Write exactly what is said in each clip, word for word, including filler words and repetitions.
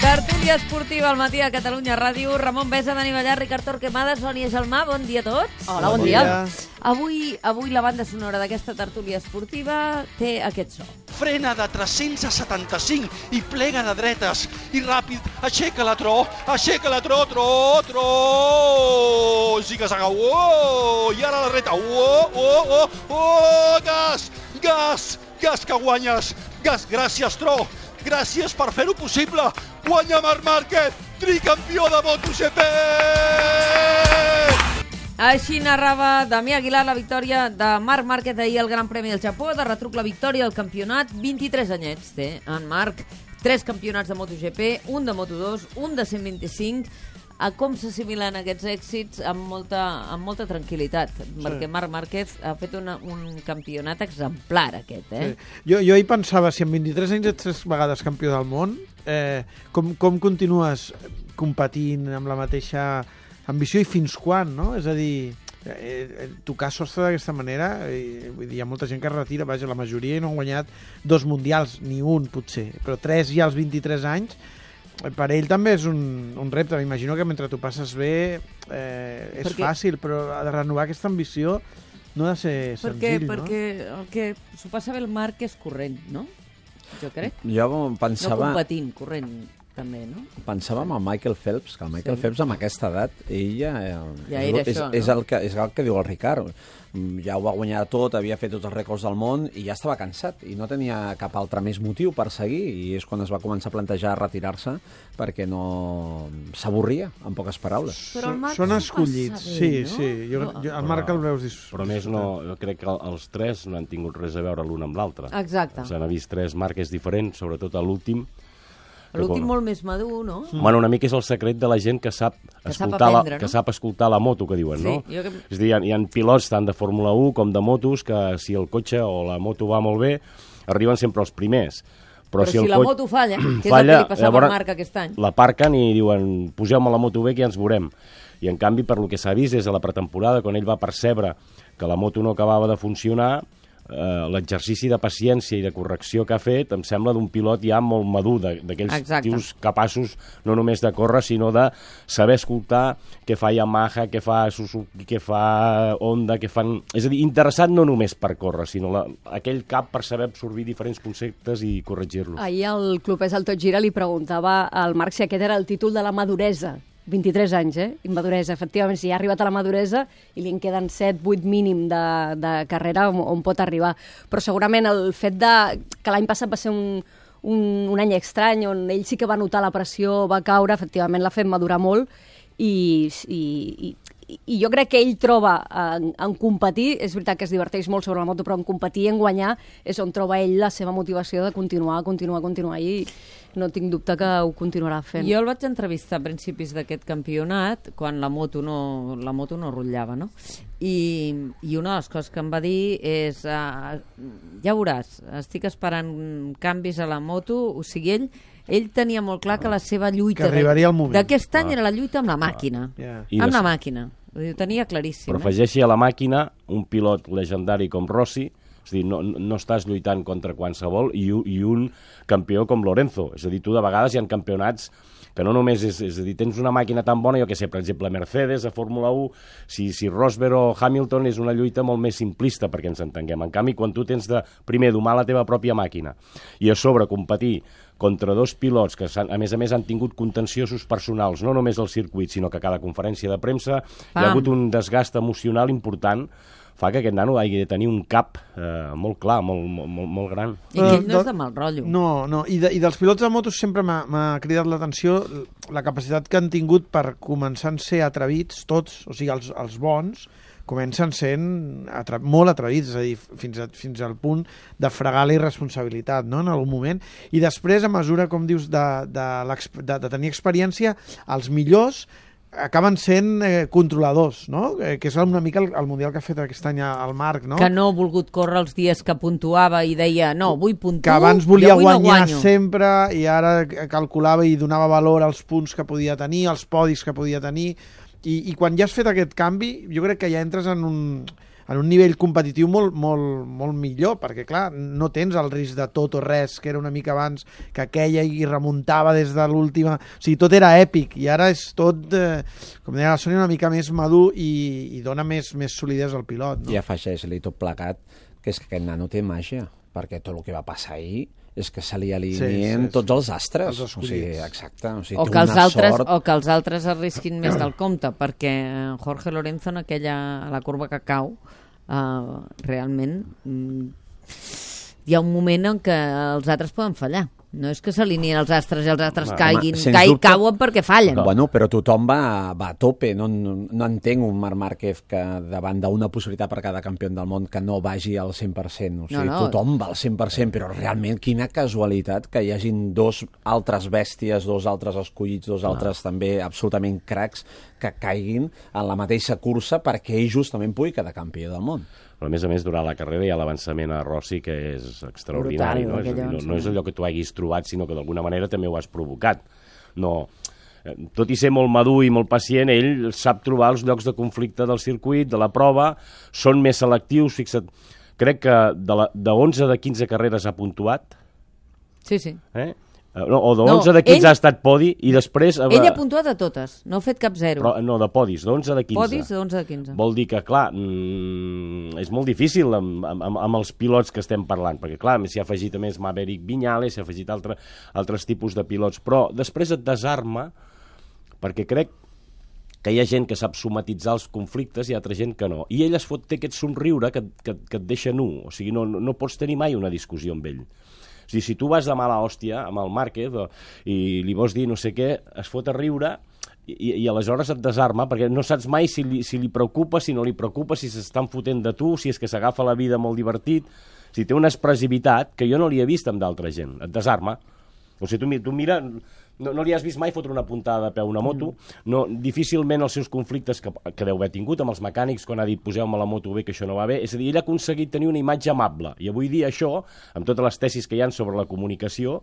Tertúlia esportiva al matí a Catalunya Ràdio. Ramon Besa, Dani Ballar, Ricard Torquemada, Sònia Gelmà, bon dia a tots. Hola, bon, bon dia. dia. Avui, avui la banda sonora d'aquesta tertúlia esportiva té aquest so. Frena de tres-cents setanta-cinc i plega de dretes i ràpid, aixeca la tro, aixeca la tro, tro, tro, ziga-zaga, oh, i ara la reta, oh, oh, oh, oh, gas, gas, gas que guanyes, gas, gràcies tro, gràcies per fer-ho possible, guanya Marc Márquez, tricampió de MotoGP! Així narrava Damià Aguilar la victòria de Marc Márquez ahir al Gran Premi del Japó, de retruc la victòria al campionat. vint-i-tres anyets té en Marc, tres campionats de MotoGP, un de Moto dos, un de cent vint-i-cinc. A com s'assimilen aquests èxits amb molta, amb molta tranquil·litat, sí. Perquè Marc Márquez ha fet una, un campionat exemplar aquest, eh? Sí. Jo, jo hi pensava, si en vint-i-tres anys ets tres vegades campió del món, eh, com, com continues competint amb la mateixa ambició i fins quan, no? És a dir, eh, tocar sostre d'aquesta manera, eh, vull dir, hi ha molta gent que es retira, vaja, la majoria no han guanyat dos mundials, ni un potser, però tres ja als vint-i-tres anys. Per ell també és un, un repte. M'imagino que mentre tu passes bé eh, és perquè, fàcil, però ha de renovar aquesta ambició no ha de ser perquè, senzill, perquè no? Perquè el que s'ho passa bé el Marc és corrent, no? Jo crec. Jo pensava... No competint, corrent també, no? Pensava en el Michael Phelps, que el Michael sí. Phelps amb aquesta edat, ell ja, ja és, era és, això, és, no? el que, és el que diu el Ricard. Ja ho va guanyar tot, havia fet tots els rècords del món i ja estava cansat i no tenia cap altre més motiu per seguir, i és quan es va començar a plantejar retirar-se perquè no s'avorria, en poques paraules. Però el Marc són escollits, bé, sí, no? sí. Jo, jo, el Marc el veus dis... Però més no, jo crec que els tres no han tingut res a veure l'un amb l'altre. Exacte. S'han vist tres Márquez diferents, sobretot a l'últim. L'últim molt més madur, no? Mm. Bueno, una mica és el secret de la gent que sap, que escoltar, sap aprendre, la, no? que sap escoltar la moto, que diuen, sí, no? Jo que... És a dir, hi ha, hi ha pilots tant de Fórmula u com de motos que si el cotxe o la moto va molt bé, arriben sempre els primers. Però, Però si, si el la cotxe... moto falla, que és falla, el que li passava llavors, al Marc aquest any. L'aparquen i diuen, poseu-me la moto bé que ja ens veurem. I en canvi, per lo que s'ha vist des de la pretemporada, quan ell va percebre que la moto no acabava de funcionar, Uh, l'exercici de paciència i de correcció que ha fet em sembla d'un pilot ja molt madur, d'aquells tios capaços no només de córrer, sinó de saber escoltar què fa Yamaha, què fa Suzuki, què fa Honda, què fan... És a dir, interessat no només per córrer, sinó la, aquell cap per saber absorbir diferents conceptes i corregir-los. Ahir el clubès al Tot Gira li preguntava al Marc si aquest era el títol de la maduresa. vint-i-tres anys, eh? Maduresa, efectivament, si ja ha arribat a la maduresa i li en queden set vuit mínim de, de carrera on, on pot arribar. Però segurament el fet de que l'any passat va ser un, un, un any estrany, on ell sí que va notar la pressió, va caure, efectivament l'ha fet madurar molt i, i, i, i jo crec que ell troba en, en competir, és veritat que es diverteix molt sobre la moto, però en competir i en guanyar és on troba ell la seva motivació de continuar, continuar, continuar i no tinc dubte que ho continuarà fent. Jo el vaig entrevistar a principis d'aquest campionat, quan la moto no, la moto no rotllava, no? I, i una de les coses que em va dir és uh, ja veuràs, estic esperant canvis a la moto, o sigui, ell ell tenia molt clar que la seva lluita d'aquest any era la lluita amb la màquina, yeah. amb la màquina, ho tenia claríssim. Però afegeixi a la màquina un pilot legendari com Rossi, és a dir, no, no estàs lluitant contra qualsevol, i, i un campió com Lorenzo. És a dir, tu de vegades hi ha campionats que no només és, és a dir, tens una màquina tan bona, jo que sé, per exemple, Mercedes, a Fórmula u, si, si Rosberg o Hamilton és una lluita molt més simplista, perquè ens entenguem. En canvi, quan tu tens de, primer, domar la teva pròpia màquina, i a sobre competir contra dos pilots que, a més a més, han tingut contenciosos personals, no només al circuit, sinó que a cada conferència de premsa Pam. hi ha hagut un desgast emocional important, fa que aquest nano hagi de tenir un cap eh, molt clar, molt, molt, molt gran. I que ell no és de mal rotllo. No, no. I, de, i dels pilots de motos sempre m'ha cridat l'atenció la capacitat que han tingut per començar a ser atrevits tots, o sigui, els, els bons, comencen sent atre molt atrevits, és a dir, fins, a, fins al punt de fregar la irresponsabilitat, no?, en algun moment. I després, a mesura, com dius, de, de, de, de tenir experiència, els millors acaben sent eh, controladors, no? Eh, que és una mica el, el mundial que ha fet aquest any el Marc, no? Que no ha volgut córrer els dies que puntuava i deia, no, vull puntuar, que abans volia guanyar no sempre i ara calculava i donava valor als punts que podia tenir, als podis que podia tenir, i, i quan ja has fet aquest canvi, jo crec que ja entres en un, en un nivell competitiu molt, molt, molt millor, perquè clar, no tens el risc de tot o res, que era una mica abans, que aquella i remuntava des de l'última... O sigui, tot era èpic, i ara és tot, eh, com deia la Sònia, una mica més madur i, i dona més, més solidesa al pilot. No? I afegeix-li tot plegat, que és que aquest nano té màgia, perquè tot el que va passar ahir és que se li alineen sí, sí, sí. tots els astres. Els o sigui, exacte. O, sigui, o, que els altres, sort... o que els altres arrisquin més del compte, perquè Jorge Lorenzo en aquella, a la curva que cau, uh, realment mm, hi ha un moment en què els altres poden fallar. No és que s'alineen els astres i els astres no, caiguin, home, caig, dubte, cauen perquè fallen. Bueno, però tothom va, va a tope. No, no, no entenc un Marc Márquez que davant d'una possibilitat per cada campió del món que no vagi al cent per cent. O sigui, no, no. Tothom va al cent per cent, però realment quina casualitat que hi hagin dos altres bèsties, dos altres escollits, dos altres no. també absolutament cracs que caiguin en la mateixa cursa perquè ell justament pugui quedar campió del món. Però a més a més, durant la carrera hi ha l'avançament a Rossi que és extraordinari. Brutal, no? És dir, no, no és allò que tu hagis trobat, sinó que d'alguna manera també ho has provocat. No, tot i ser molt madur i molt pacient, ell sap trobar els llocs de conflicte del circuit, de la prova, són més selectius, fixa't. Crec que de, la, de onze de quinze carreres ha puntuat. Sí, sí. Eh? No, o de onze no, de quinze ell, ha estat podi i després... Ell ha puntuat de totes, no ha fet cap zero. Però, no, de podis, d'onze de quinze. Podis d'onze de quinze. Vol dir que, clar, mmm, és molt difícil amb, amb, amb els pilots que estem parlant, perquè, clar, s'hi ha afegit a més Maverick Viñales, s'hi ha afegit altre, altres tipus de pilots, però després et desarma, perquè crec que hi ha gent que sap somatitzar els conflictes i altra gent que no. I ell es fot, té aquest somriure que, que, que et deixa nu, o sigui, no, no pots tenir mai una discussió amb ell. O sigui, si tu vas de mala hòstia amb el Márquez o, i li vols dir no sé què, es fot a riure i, i aleshores et desarma perquè no saps mai si li, si li preocupa, si no li preocupa, si s'estan fotent de tu, si és que s'agafa la vida molt divertit. O sigui, té una expressivitat que jo no li he vist amb d'altra gent. Et desarma. O sigui, tu, tu mira... No, no li has vist mai fotre una puntada de peu a una moto, no, difícilment els seus conflictes que, que deu haver tingut amb els mecànics quan ha dit poseu-me la moto bé que això no va bé, és a dir, ell ha aconseguit tenir una imatge amable, i avui dia això, amb totes les tesis que hi ha sobre la comunicació,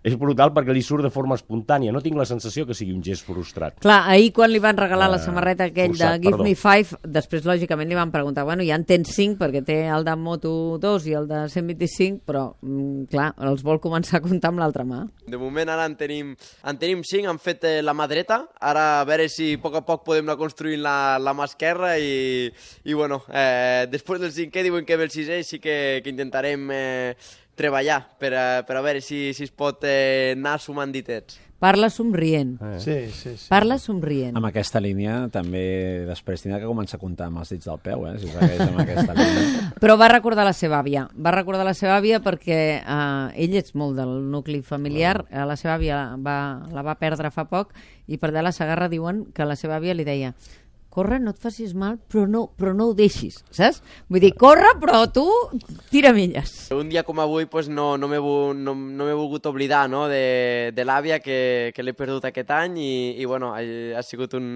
és brutal perquè li surt de forma espontània, no tinc la sensació que sigui un gest frustrat. Clar, ahir quan li van regalar uh, la samarreta aquell forçat, de Give perdó. Me Five, després lògicament li van preguntar, bueno, ja en tens cinc perquè té el de Moto dos i el de cent vint-i-cinc, però mm, clar, els vol començar a comptar amb l'altra mà. De moment ara en tenim En tenim cinc, han fet eh, la mà dreta, ara a veure si a poc a poc podem anar construint la, la mà esquerra i, i bueno, eh, després del cinquè diuen que ve el sisè sí que, que intentarem eh, treballar per a, per a veure si, si es pot eh, anar sumant ditets. Parla somrient. Eh. Sí, sí, sí. Parla somrient. Amb aquesta línia també després tindrà que començar a comptar amb els dits del peu, eh, si segueix amb aquesta línia. Però va recordar la seva àvia. Va recordar la seva àvia perquè eh, ell és molt del nucli familiar. Uh. La seva àvia va, la va perdre fa poc i per allà a la Segarra diuen que la seva àvia li deia corre, no et facis mal, però no, però no ho deixis, saps? Vull dir, corre, però tu tira milles. Un dia com avui pues, no, no m'he no, no volgut oblidar no, de, de l'àvia que, que l'he perdut aquest any i, i bueno, ha, ha sigut un,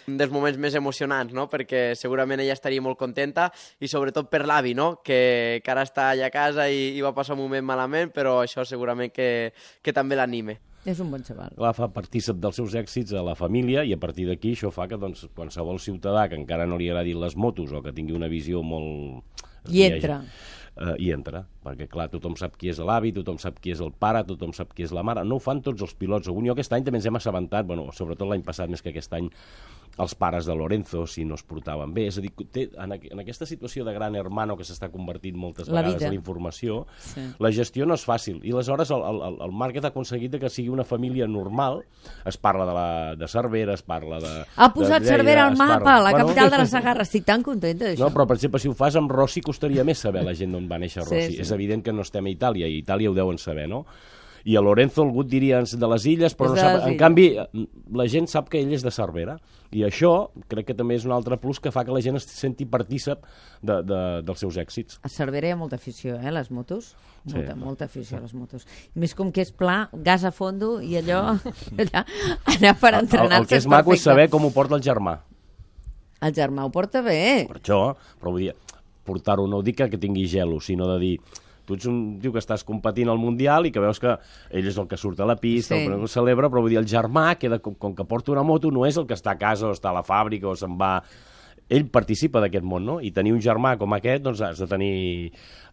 un dels moments més emocionants, no? Perquè segurament ella estaria molt contenta i sobretot per l'avi, no? que, que ara està allà a casa i, i va passar un moment malament, però això segurament que, que també l'anime. És un bon xaval. La fa partícip dels seus èxits a la família i a partir d'aquí això fa que doncs, qualsevol ciutadà que encara no li agradin les motos o que tingui una visió molt... I entra. Uh, I entra, perquè clar, tothom sap qui és l'avi, tothom sap qui és el pare, tothom sap qui és la mare. No ho fan tots els pilots. Algun aquest any també ens hem assabentat, bueno, sobretot l'any passat més que aquest any, els pares de Lorenzo, si no es portaven bé. És a dir, té, en, en aquesta situació de gran hermano que s'està convertint moltes la vegades vida. a la informació, sí. La gestió no és fàcil. I aleshores el, el, el Márquez ha aconseguit que sigui una família normal. Es parla de, la, de Cervera, es parla de... Ha posat de Lleida, Cervera al mapa, parla... la bueno, capital de la Segarra. Estic tan contenta d'això. No, però per exemple, si ho fas amb Rossi, costaria més saber la gent d'on va néixer Rossi. Sí, sí. És evident que no estem a Itàlia, i a Itàlia ho deuen saber, no? I a Lorenzo algú et diria de les illes, però no sap... En canvi, la gent sap que ell és de Cervera. I això crec que també és un altre plus que fa que la gent es senti partícip de, de, dels seus èxits. A Cervera hi ha molta afició, eh, les motos. Molta, sí. molta afició a les motos. Més com que és pla, gas a fondo i allò... allà, anar per entrenar-se. El, el que és, és maco és saber com ho porta el germà. El germà ho porta bé. Per això, però vull dir, portar-ho no dic que tingui gelo, sinó de dir... Tu ets un tio que estàs competint al Mundial i que veus que ell és el que surt a la pista, sí. El que celebra, però vull dir, el germà, que com, com que porta una moto, no és el que està a casa o està a la fàbrica o se'n va... ell participa d'aquest món, no? I tenir un germà com aquest, doncs has de tenir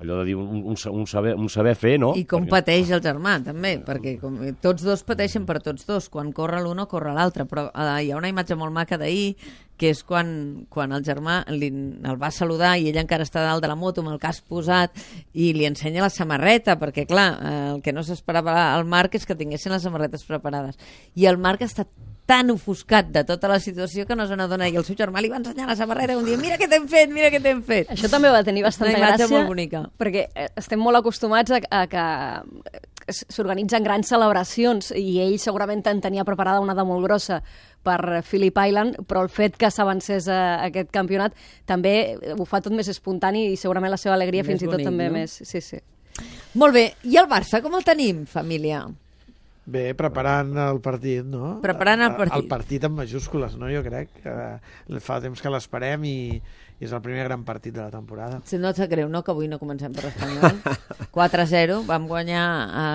allò de dir un, un, un, saber, un saber fer, no? I com perquè... pateix el germà, també, perquè com, tots dos pateixen per tots dos. Quan corre l'un o corre l'altre, però eh, hi ha una imatge molt maca d'ahir, que és quan, quan el germà li, el va saludar i ell encara està dalt de la moto amb el casc posat i li ensenya la samarreta, perquè clar, eh, el que no s'esperava al Marc és que tinguessin les samarretes preparades. I el Marc està tan ofuscat de tota la situació que no se n'adona, i el seu germà li va ensenyar la samarreta un dia, mira què t'hem fet, mira què t'hem fet. Això també va tenir bastanta gràcia, molt bonica. Perquè estem molt acostumats a, a que s'organitzen grans celebracions i ell segurament en tenia preparada una de molt grossa per Phillip Island, però el fet que s'avancés a aquest campionat també ho fa tot més espontani i segurament la seva alegria més fins bonic, i tot també no? més... Sí, sí. Molt bé, i el Barça com el tenim, família? Bé, preparant el partit, no? Preparant el partit. El partit amb majúscules, no? Jo crec que fa temps que l'esperem i, i és el primer gran partit de la temporada. Si no et sap greu, no?, que avui no comencem per l'Espanyol. quatre a zero, vam guanyar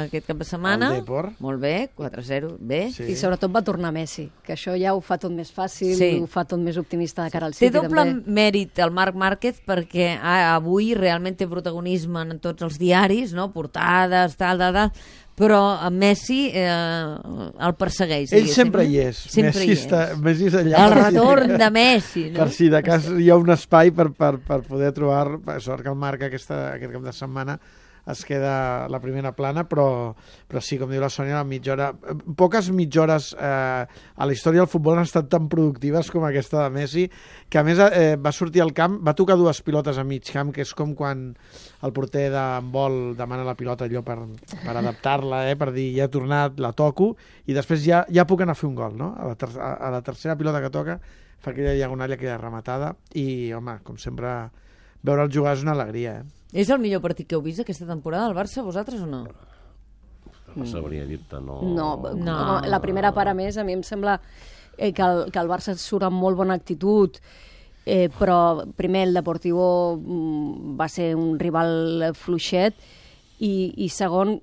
aquest cap de setmana. El Depor. Molt bé, quatre a zero, bé. Sí. I sobretot va tornar Messi, que això ja ho fa tot més fàcil, sí. ho fa tot més optimista de cara al City. Té doble també. mèrit el Marc Márquez perquè ah, avui realment té protagonisme en tots els diaris, no?, portades, tal, tal, tal, però Messi eh, el persegueix. Ell sempre hi és. Sempre Messi, hi és. Està, Messi és allà. El retorn de Messi. No? Per si de cas hi ha un espai per, per, per poder trobar... Sort que el Marc aquesta, aquest cap de setmana es queda a la primera plana, però, però sí, com diu la Sònia, la mitja hora... Poques mitja hores eh, a la història del futbol han estat tan productives com aquesta de Messi, que a més eh, va sortir al camp, va tocar dues pilotes a mig camp, que és com quan el porter d'handbol demana la pilota allò per, per adaptar-la, eh, per dir ja he tornat, la toco, i després ja, ja puc anar a fer un gol, no? A la, ter a la tercera pilota que toca fa aquella diagonal, aquella rematada, i, home, com sempre, veure el jugar és una alegria, eh? És el millor partit que heu vist aquesta temporada al Barça, vosaltres o no? No sabria dir-te, no... No, no. no, la primera part, a més, a mi em sembla eh, que, el, que el Barça surt amb molt bona actitud, eh, però primer el Deportivo mm, va ser un rival fluixet, i, i segon,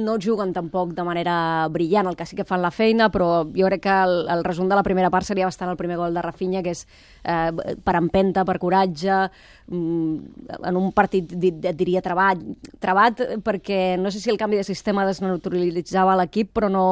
no juguen tampoc de manera brillant, el que sí que fan la feina, però jo crec que el, el resum de la primera part seria bastant el primer gol de Rafinha, que és eh, per empenta, per coratge, mm, en un partit, et diria, trebat, trebat, perquè no sé si el canvi de sistema desnaturalitzava l'equip, però no...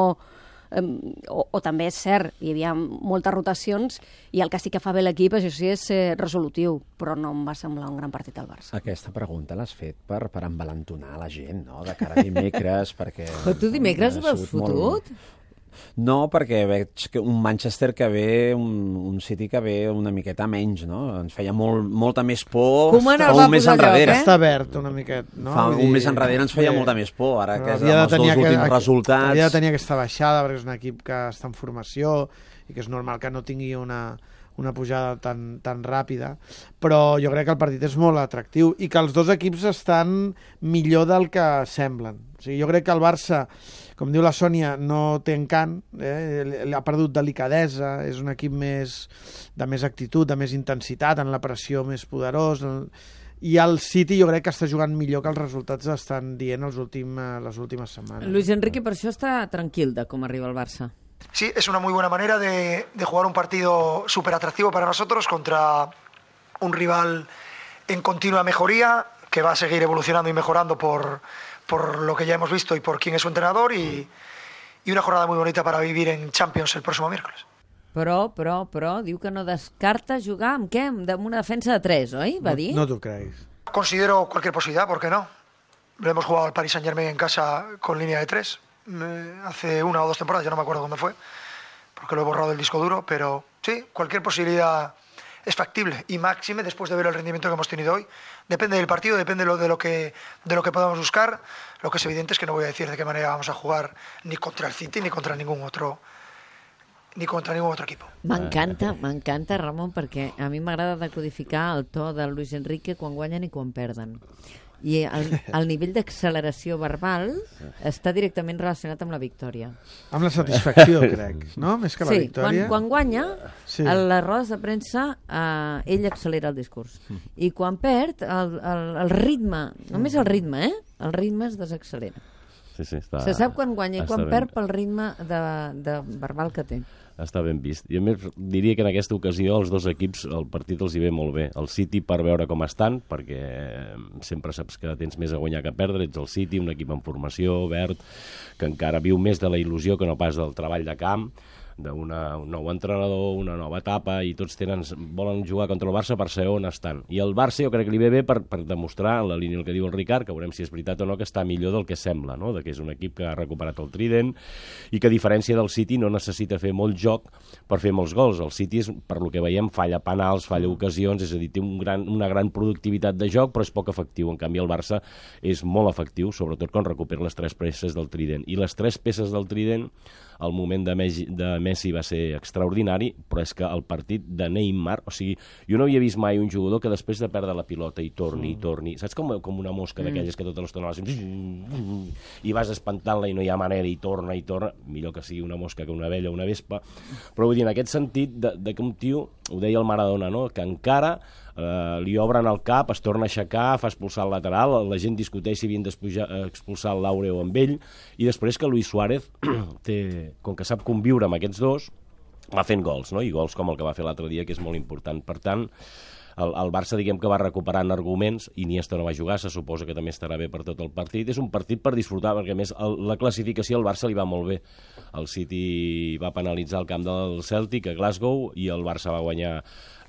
O, o també és cert, hi havia moltes rotacions i el que sí que fa bé l'equip, això sí, és ser resolutiu, però no em va semblar un gran partit al Barça. Aquesta pregunta l'has fet per, per envalentonar la gent, no?, de cara a dimecres, perquè... Però tu dimecres ho veus fotut? Molt... No, perquè veig que un Manchester que ve, un, un City que ve una miqueta menys, no? Ens feia molt, molta més por un mes enrere. Eh? Està verd una miqueta, no? Fa un mes enrere ens feia molta més por, ara que és amb els dos últims que, resultats... Havia de tenir aquesta baixada, perquè és un equip que està en formació i que és normal que no tingui una, una pujada tan, tan ràpida, però jo crec que el partit és molt atractiu i que els dos equips estan millor del que semblen. O sigui, jo crec que el Barça, com diu la Sònia, no té encant, eh? ha perdut delicadesa, és un equip més, de més actitud, de més intensitat, en la pressió més poderós, i el City jo crec que està jugant millor que els resultats estan dient els últim, les últimes setmanes. Luis Enrique per això està tranquil de com arriba el Barça. Sí, es una muy buena manera de, de jugar un partido súper atractivo para nosotros contra un rival en continua mejoría, que va a seguir evolucionando y mejorando por... por lo que ya hemos visto y por quién es su entrenador, y, y una jornada muy bonita para vivir en Champions el próximo miércoles. Però, però, però, diu que no descarta jugar amb què? Amb una defensa de tres, oi? Va dir? No, no t'ho creguis. Considero cualquier posibilidad, ¿por qué no? Le hemos jugado al Paris Saint-Germain en casa con línea de tres, eh, hace una o dos temporadas, ya no me acuerdo cuándo fue, porque lo he borrado del disco duro, pero sí, cualquier posibilidad es factible, y máxime después de ver el rendimiento que hemos tenido hoy. Depende del partido, depende de lo, de lo que de lo que podamos buscar. Lo que es evidente es que no voy a decir de qué manera vamos a jugar ni contra el City ni contra ningún otro ni contra ningún otro equipo. M'encanta, m'encanta, Ramon, perquè a mi m'agrada decodificar el to de Luis Enrique quan guanyen i quan perden. I el, el nivell d'acceleració verbal està directament relacionat amb la victòria. Amb la satisfacció, crec, no? Més que la sí, victòria. Quan, quan guanya, sí. a les rodes de premsa, eh, ell accelera el discurs. I quan perd, el, el, el ritme, només el ritme, eh? El ritme es desaccelera. sí, sí, està, Se sap quan guanya i quan ben, perd pel ritme de, de verbal que té. Està ben vist. I a més diria que en aquesta ocasió els dos equips, el partit els hi ve molt bé. El City per veure com estan, perquè sempre saps que tens més a guanyar que a perdre, ets el City, un equip en formació, verd, que encara viu més de la il·lusió que no pas del treball de camp, d'un nou entrenador, una nova etapa, i tots tenen, volen jugar contra el Barça per saber on estan. I el Barça jo crec que li ve bé per, per demostrar, en la línia el que diu el Ricard, que veurem si és veritat o no, que està millor del que sembla, no? De que és un equip que ha recuperat el trident i que, a diferència del City, no necessita fer molt joc per fer molts gols. El City, és, per lo que veiem, falla penals, falla ocasions, és a dir, té un gran, una gran productivitat de joc, però és poc efectiu. En canvi, el Barça és molt efectiu, sobretot quan recupera les tres peces del trident. I les tres peces del trident, el moment de Messi, de Messi va ser extraordinari, però és que el partit de Neymar, o sigui, jo no havia vist mai un jugador que després de perdre la pilota i torni, i torni, saps com, com una mosca d'aquelles que tota l'estona vas i vas espantant-la i no hi ha manera, i torna, i torna, millor que sigui una mosca que una abella o una vespa, però vull dir, en aquest sentit, de, de que un tio, ho deia el Maradona, no?, que encara Uh, li obren el cap, es torna a aixecar, fa expulsar el lateral, la gent discuteix si havien d'expulsar el Laureo amb ell, i després que Luis Suárez, té, com que sap conviure amb aquests dos, va fent gols, no? I gols com el que va fer l'altre dia, que és molt important. Per tant, el, el Barça, diguem que va recuperant arguments, Iniesta no va jugar, se suposa que també estarà bé per tot el partit. És un partit per disfrutar, perquè a més el, la classificació al Barça li va molt bé. El City va penalitzar el camp del Celtic a Glasgow i el Barça va guanyar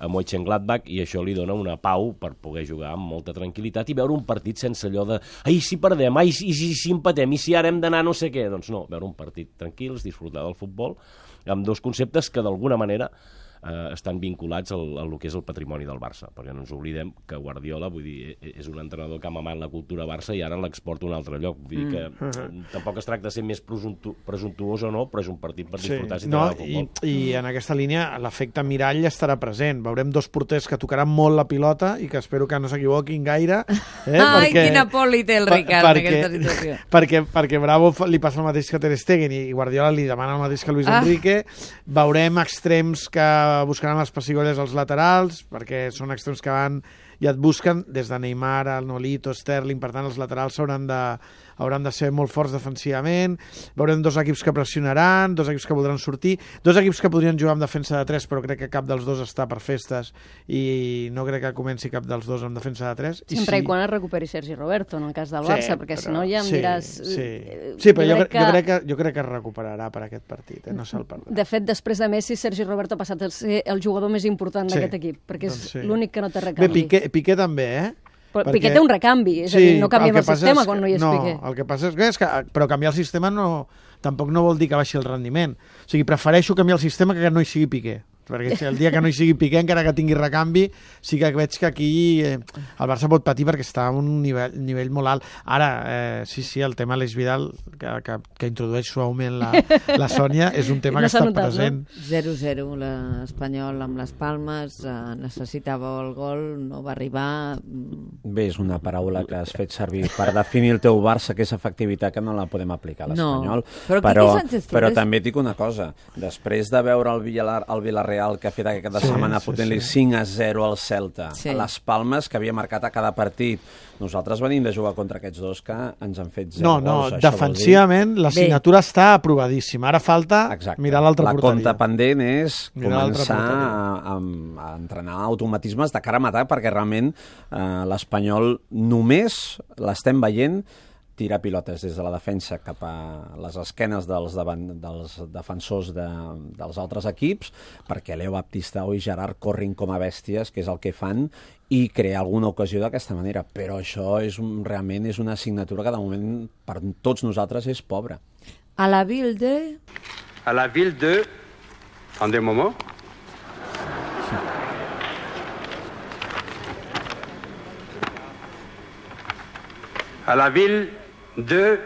a Mönchengladbach, i això li dona una pau per poder jugar amb molta tranquil·litat i veure un partit sense allò de ai, si perdem, ai, si, si, si empatem, i si ara hem d'anar no sé què. Doncs no, veure un partit tranquils, disfrutar del futbol, amb dos conceptes que d'alguna manera eh, estan vinculats al, al que és el patrimoni del Barça, perquè no ens oblidem que Guardiola, vull dir, és un entrenador que ha mamat la cultura Barça i ara l'exporta a un altre lloc. Vull dir que mm. tampoc es tracta de ser més presumptu presumptuós o no, però és un partit per disfrutar sí. si no, t'agrada el futbol. I, I en aquesta línia l'efecte mirall estarà present. Veurem dos porters que tocaran molt la pilota i que espero que no s'equivoquin gaire. Eh, Ai, perquè, quina poli té el Ricard per, en aquesta situació. Perquè, perquè Bravo li passa el mateix que Ter Stegen i Guardiola li demana el mateix que Luis ah. Enrique. Veurem extrems que buscaran les pessigolles als laterals, perquè són extrems que van i et busquen des de Neymar, el Nolito, Sterling. Per tant, els laterals hauran de, hauran de ser molt forts defensivament. Veurem dos equips que pressionaran, dos equips que voldran sortir, dos equips que podrien jugar amb defensa de tres, però crec que cap dels dos està per festes i no crec que comenci cap dels dos amb defensa de tres. Sempre i, sí. i quan es recuperi Sergi Roberto, en el cas del Barça, sí, perquè però, si no ja em sí, diràs... Sí, sí però jo, crec que... jo, crec que, jo crec que es recuperarà per aquest partit, eh? No se'l perdrà. De fet, després de Messi, Sergi Roberto ha passat a ser el jugador més important sí, d'aquest equip, perquè és doncs sí. l'únic que no té recanvi. Bé, Piqué, Piqué també, eh? Però perquè... Piqué té un recanvi, és sí, a dir, no canviem el, el sistema quan no hi és no, Piqué. El que passa és que, és que però canviar el sistema no, tampoc no vol dir que baixi el rendiment. O sigui, prefereixo canviar el sistema que no hi sigui Piqué. Perquè si el dia que no hi sigui Piqué, encara que tingui recanvi, sí que veig que aquí eh, el Barça pot patir perquè està a un nivell, nivell molt alt. Ara, eh, sí, sí, el tema Aleix Vidal, que, que, que introdueix suaument la, la Sònia, és un tema no que està notat, present. No? zero zero, l'Espanyol amb les Palmes, eh, necessitava el gol, no va arribar... Bé, és una paraula que has fet servir per definir el teu Barça, que és efectivitat, que no la podem aplicar a l'Espanyol. No, però, però, Sánchez, però també et dic una cosa, després de veure el Villar, el Villarreal que ha fet aquesta sí, setmana sí, fotent-li sí. cinc a zero al Celta, sí. a les Palmes, que havia marcat a cada partit. Nosaltres venim de jugar contra aquests dos que ens han fet zero no, no, gols. No, defensivament la signatura està aprovadíssima. Ara falta Exacte. mirar l'altra porteria. La compta pendent és mirar començar a, a, a entrenar automatismes de cara a matar, perquè realment eh, l'Espanyol només l'estem veient tirar pilotes des de la defensa cap a les esquenes dels, davant, dels defensors de, dels altres equips, perquè Leo Baptistao i Gerard corrin com a bèsties, que és el que fan, i crear alguna ocasió d'aquesta manera. Però això és un, realment és una assignatura que de moment per tots nosaltres és pobra. A la ville de... A la ville de... En des moments... A la ville de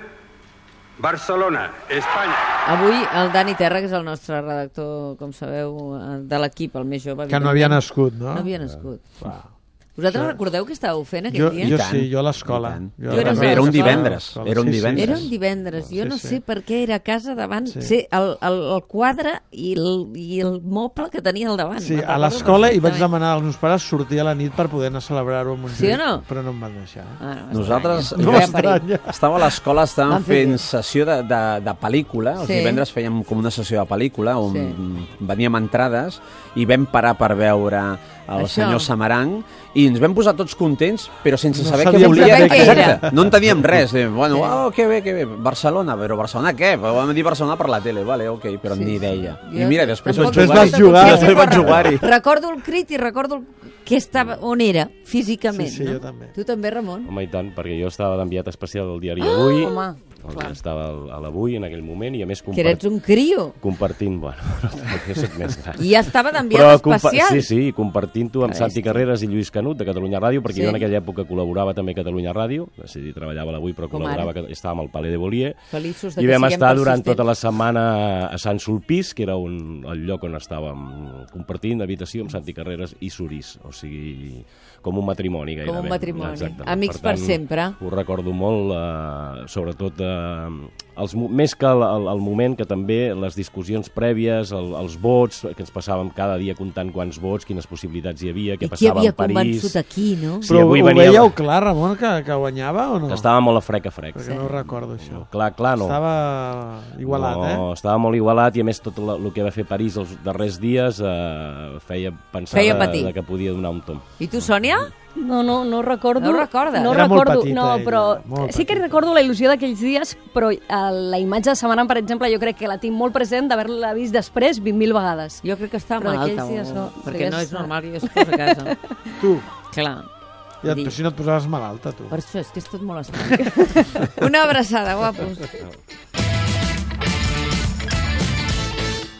Barcelona, Espanya. Avui el Dani Terra, que és el nostre redactor, com sabeu, de l'equip, el més jove... Que no havia nascut, no? No havia nascut. Uh, Vosaltres recordeu què estàveu fent aquell Jo, dia? jo sí, jo a l'escola. Jo Jo era també, a era un l'escola. divendres. Era un Sí, sí. divendres. Era un divendres, jo Sí, no sí. sé per què era a casa davant, Sí. sí, el, el, el quadre i el, i el moble que tenia al davant. Sí, Me'n a recordo l'escola i vaig perfectament. demanar als meus pares sortir a la nit per poder anar a celebrar-ho amb un Sí o no? Però no em van deixar. Ah, no, Nosaltres estranya. No Veiem perill. m'estranya. estàvem a l'escola, estàvem Van fer fent bé. sessió de, de, de pel·lícula. Els Sí. divendres fèiem com una sessió de pel·lícula on Sí. veníem entrades i vam parar per veure el Això. senyor Samaranc i ens vam posar tots contents, però sense No saber què sabíem volia. saber què era. Exacte. No enteníem res. Eh, bueno, Sí. oh, que bé, que bé. Barcelona, però Barcelona què? Vam dir Barcelona per la tele, vale, ok, però Sí, ni sí. idea. Jo I mira, després tampoc vaig Després vas no jugar. sé Després com vaig recordo. jugar-hi. Recordo el crit i recordo el... que estava, on era, físicament. Sí, sí, no? jo també. Tu també, Ramon? Home, i tant, perquè jo estava d'enviat especial del diari Avui, Home, el clar. que estava al- a l'Avui en aquell moment, i a més Que eres compart... un crio. compartint... Bueno, jo soc més gran. I ja estava d'enviat compa- especial. Sí, sí, compartint-ho amb Que Santi bèstia. Carreras i Lluís Canut, de Catalunya Ràdio, perquè Sí. jo en aquella època col·laborava també a Catalunya Ràdio, és a dir, treballava a l'Avui, però Com col·laborava, ara. que estàvem al Paler de Bollier, Feliços de i que vam siguem estar durant persistents. tota la setmana a Sant Sulpís, que era un, el lloc on estàvem compartint habitació amb Santi Carreras i Surís, o sigui, com un matrimoni gairebé. Com un matrimoni. Exactament. Amics per sempre. Ho recordo molt, eh, sobretot eh, els, mo- més que el, el, el moment que també les discussions prèvies, el, els vots, que ens passàvem cada dia comptant quants vots, quines possibilitats hi havia, què I qui passava havia a París. convençut aquí, no? Sí, Però avui ho venia- veieu clar, Ramon, que, que guanyava o no? Que estava molt a frec a frec. Perquè no ho recordo, això. Clar, clar, no. Estava igualat, no, estava molt igualat i a més tot la- el que va fer París els darrers dies eh, feia pensar Feia de, patir. de que podia donar un tom. I tu, Sònia? No, no, no recordo. No ho recordes? No Era molt recordo, petita, no, ella, però molt sí que petita. recordo la il·lusió d'aquells dies, però eh, la imatge de Samaranc, per exemple, jo crec que la tinc molt present d'haver-la vist després vint mil vegades. Jo crec que està Però malalta, aquells dies o- no. perquè Sí, no és- és normal que jo es posi a casa. Tu, Clar. ja, Dir. però si no et posaves malalta, tu. Per això és que és tot molt estrany. Una abraçada, guapos.